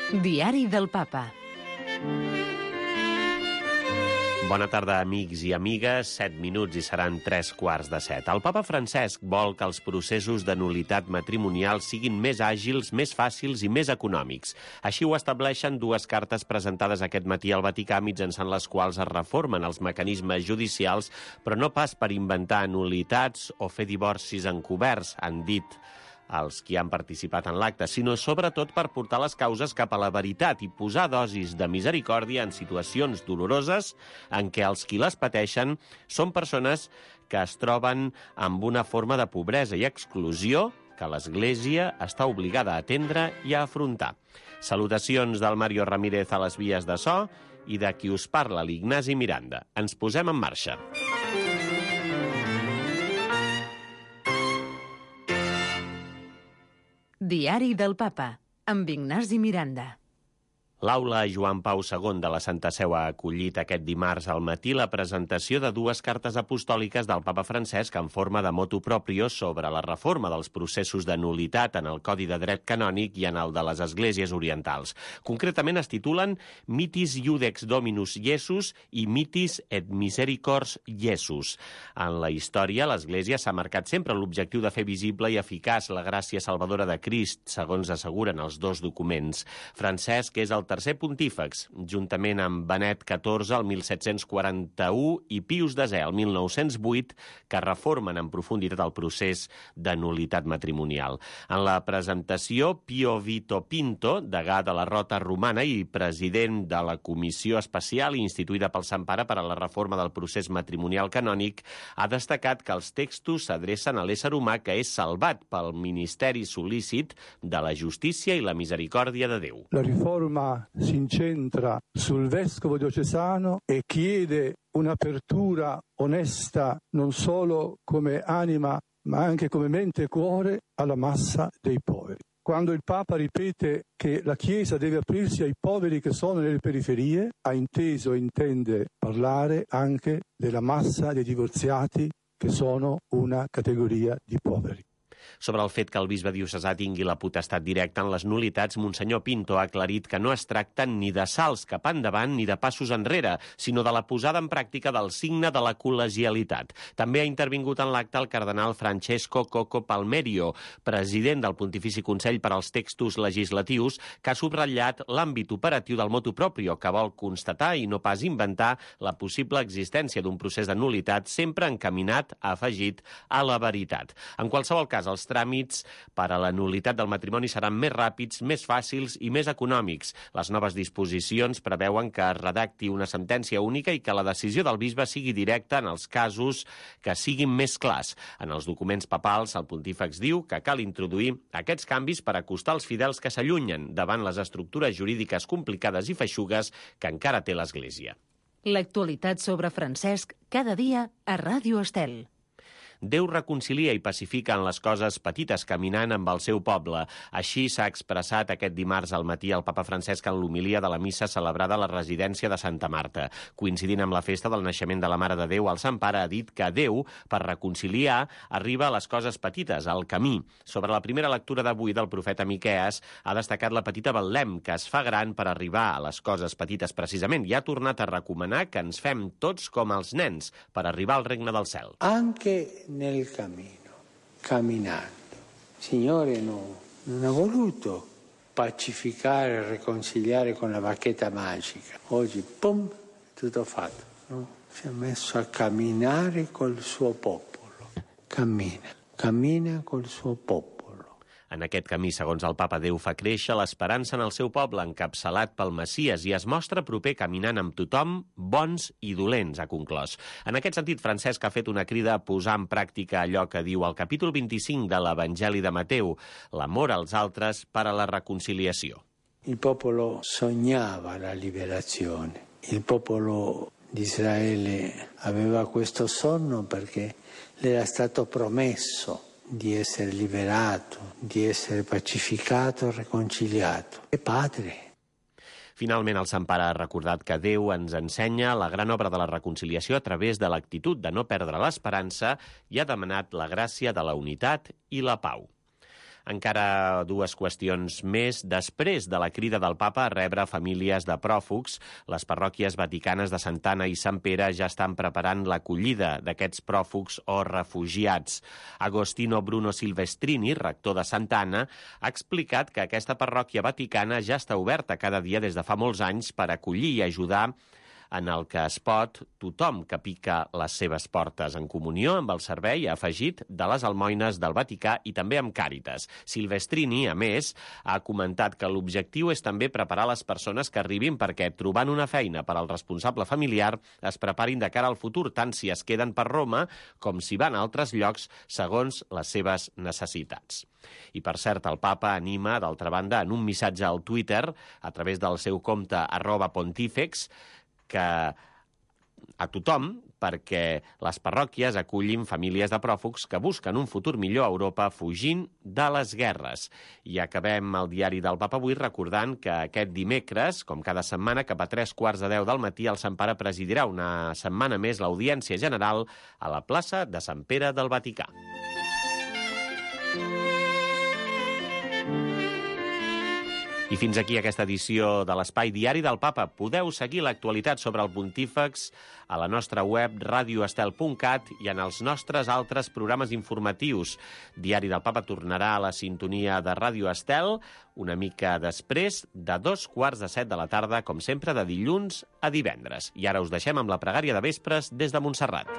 Diari del Papa. Bona tarda, amics i amigues. 7 minuts i seran 7:15. El papa Francesc vol que els processos de nul·litat matrimonial siguin més àgils, més fàcils i més econòmics. Així ho estableixen dues cartes presentades aquest matí al Vaticà, mitjançant les quals es reformen els mecanismes judicials, però no pas per inventar nul·litats o fer divorcis encoberts, han dit els qui han participat en l'acte, sinó sobretot per portar les causes cap a la veritat i posar dosis de misericòrdia en situacions doloroses en què els qui les pateixen són persones que es troben amb una forma de pobresa i exclusió que l'Església està obligada a atendre i a afrontar. Salutacions del Mario Ramírez a les vies de so i de qui us parla, l'Ignasi Miranda. Ens posem en marxa. Diari del Papa, amb Ignasi Miranda. L'aula Joan Pau II de la Santa Seu ha acollit aquest dimarts al matí la presentació de dues cartes apostòliques del papa Francesc en forma de motu proprio sobre la reforma dels processos de nul·litat en el Codi de Dret Canònic i en el de les Esglésies Orientals. Concretament es titulen Mitis Iudex Dominus Iesus i Mitis et Misericors Iesus. En la història, l'Església s'ha marcat sempre l'objectiu de fer visible i eficaç la gràcia salvadora de Crist, segons asseguren els dos documents. Francesc és el tercer pontífex, juntament amb Benet XIV el 1741 i Pius X el 1908, que reformen en profunditat el procés de nul·litat matrimonial. En la presentació, Pio Vito Pinto, degà de la Rota Romana i president de la Comissió Especial instituïda pel Sant Pare per a la reforma del procés matrimonial canònic, ha destacat que els textos s'adrecen a l'ésser humà que és salvat pel ministeri sol·lícit de la justícia i la misericòrdia de Déu. La riforma si incentra sul vescovo diocesano e chiede un'apertura onesta non solo come anima ma anche come mente e cuore alla massa dei poveri. Quando il Papa ripete che la Chiesa deve aprirsi ai poveri che sono nelle periferie, ha inteso e intende parlare anche della massa dei divorziati che sono una categoria di poveri. Sobre el fet que el bisbe diocesà tingui la potestat directa en les nul·litats, Monsenyor Pinto ha aclarit que no es tracta ni de salts cap endavant ni de passos enrere, sinó de la posada en pràctica del signe de la col·legialitat. També ha intervingut en l'acte el cardenal Francesco Coco Palmerio, president del Pontifici Consell per als Textos Legislatius, que ha subratllat l'àmbit operatiu del motu proprio, que vol constatar i no pas inventar la possible existència d'un procés de nul·litat sempre encaminat, ha afegit, a la veritat. En qualsevol cas, els tràmits per a la nul·litat del matrimoni seran més ràpids, més fàcils i més econòmics. Les noves disposicions preveuen que es redacti una sentència única i que la decisió del bisbe sigui directa en els casos que siguin més clars. En els documents papals, el pontífex diu que cal introduir aquests canvis per acostar els fidels que s'allunyen davant les estructures jurídiques complicades i feixugues que encara té l'Església. L'actualitat sobre Francesc cada dia a Ràdio Estel. Déu reconcilia i pacifica en les coses petites caminant amb el seu poble. Així s'ha expressat aquest dimarts al matí el papa Francesc en l'homilia de la missa celebrada a la residència de Santa Marta. Coincidint amb la festa del naixement de la Mare de Déu, el Sant Pare ha dit que Déu, per reconciliar, arriba a les coses petites, al camí. Sobre la primera lectura d'avui del profeta Miquees, ha destacat la petita Betlem, que es fa gran per arribar a les coses petites precisament, i ha tornat a recomanar que ens fem tots com els nens per arribar al regne del cel. Anche nel cammino, camminando. Il Signore non ha voluto pacificare e riconciliare con la bacchetta magica. Oggi, pum, tutto fatto. No? Si è messo a camminare col suo popolo. Cammina col suo popolo. En aquest camí, segons el papa, Déu fa créixer l'esperança en el seu poble, encapçalat pel Messies, i es mostra proper caminant amb tothom, bons i dolents, ha conclòs. En aquest sentit, Francesc ha fet una crida a posar en pràctica allò que diu el capítol 25 de l'Evangeli de Mateu, l'amor als altres per a la reconciliació. Il popolo sognava la liberazione. Il popolo di Israele aveva questo sonno perché le era stato promesso di essere liberato, di essere pacificato, reconciliato. E padre. Finalment, el Sant Pare ha recordat que Déu ens ensenya la gran obra de la reconciliació a través de l'actitud de no perdre l'esperança i ha demanat la gràcia de la unitat i la pau. Encara dues qüestions més. Després de la crida del papa a rebre famílies de pròfugs, les parròquies vaticanes de Santa Anna i Sant Pere ja estan preparant l'acollida d'aquests pròfugs o refugiats. Agostino Bruno Silvestrini, rector de Santa Anna, ha explicat que aquesta parròquia vaticana ja està oberta cada dia des de fa molts anys per acollir i ajudar en el que es pot tothom que pica les seves portes, en comunió amb el servei afegit de les almoines del Vaticà i també amb Càritas. Silvestrini, a més, ha comentat que l'objectiu és també preparar les persones que arribin perquè, trobant una feina per al responsable familiar, es preparin de cara al futur, tant si es queden per Roma com si van a altres llocs segons les seves necessitats. I, per cert, el papa anima, d'altra banda, en un missatge al Twitter, a través del seu compte @pontífex, que a tothom perquè les parròquies acullin famílies de pròfugs que busquen un futur millor a Europa fugint de les guerres. I acabem el diari del Papa avui recordant que aquest dimecres, com cada setmana, cap a 9:45 del matí, el Sant Pare presidirà una setmana més l'Audiència General a la plaça de Sant Pere del Vaticà. I fins aquí aquesta edició de l'Espai Diari del Papa. Podeu seguir l'actualitat sobre el Pontífex a la nostra web radioestel.cat i en els nostres altres programes informatius. Diari del Papa tornarà a la sintonia de Ràdio Estel una mica després de 7:15 de la tarda, com sempre, de dilluns a divendres. I ara us deixem amb la pregària de vespres des de Montserrat.